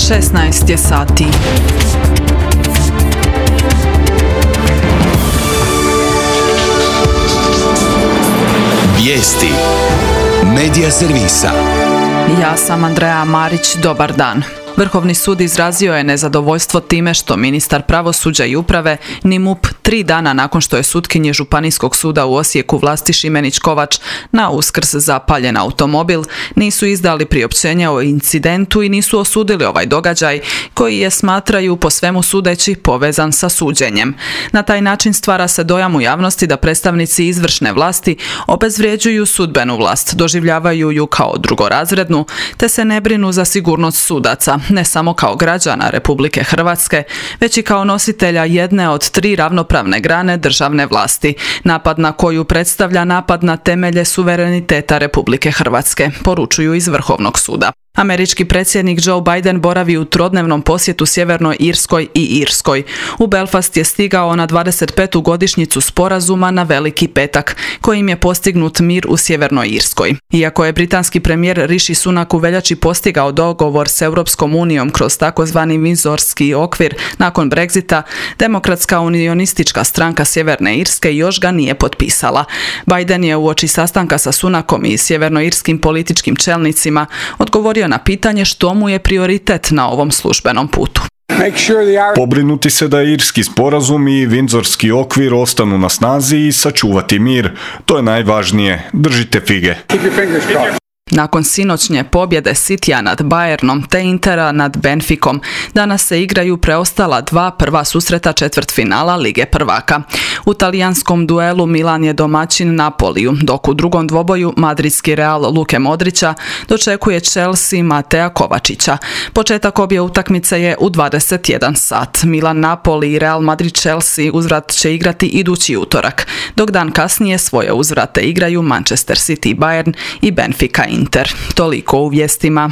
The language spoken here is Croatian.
16 je sati. Vijesti Medija servisa. Ja sam Andreja Marić, dobar dan. Vrhovni sud izrazio je nezadovoljstvo time što ministar pravosuđa i uprave ni MUP 3 dana nakon što je sutkinji Županijskog suda u Osijeku Vlasti Šimenić-Kovač na Uskrs zapaljen automobil, nisu izdali priopćenje o incidentu i nisu osudili ovaj događaj koji je, smatraju po svemu sudeći, povezan sa suđenjem. Na taj način stvara se dojam u javnosti da predstavnici izvršne vlasti obezvrjeđuju sudbenu vlast, doživljavaju ju kao drugorazrednu, te se ne brinu za sigurnost sudaca, ne samo kao građana Republike Hrvatske, već i kao nositelja jedne od 3 ravnopravne grane državne vlasti, napad na koju predstavlja napad na temelje suvereniteta Republike Hrvatske, poručuju iz Vrhovnog suda. Američki predsjednik Joe Biden boravi u trodnevnom posjetu Sjevernoj Irskoj i Irskoj. U Belfast je stigao na 25. godišnjicu sporazuma na Veliki petak, kojim je postignut mir u Sjevernoj Irskoj. Iako je britanski premijer Rishi Sunak u veljači postigao dogovor s Europskom unijom kroz takozvani Windsorski okvir nakon Brexita, Demokratska unionistička stranka Sjeverne Irske još ga nije potpisala. Biden je uoči sastanka sa Sunakom i sjevernoirskim političkim čelnicima odgovorio na pitanje što mu je prioritet na ovom službenom putu. Pobrinuti se da irski sporazum i Windsorski okvir ostanu na snazi i sačuvati mir. To je najvažnije. Držite fige. Nakon sinoćnje pobjede Citya nad Bayernom te Intera nad Benficom, danas se igraju preostala 2 prva susreta četvrtfinala Lige prvaka. U talijanskom duelu Milan je domaćin Napoliju, dok u drugom dvoboju madridski Real Luke Modrića dočekuje Chelsea Matea Kovačića. Početak obje utakmice je u 21 sat. Milan Napoli i Real Madrid Chelsea uzvrat će igrati idući utorak, dok dan kasnije svoje uzvrate igraju Manchester City Bayern i Benfica Inter. Toliko u vijestima.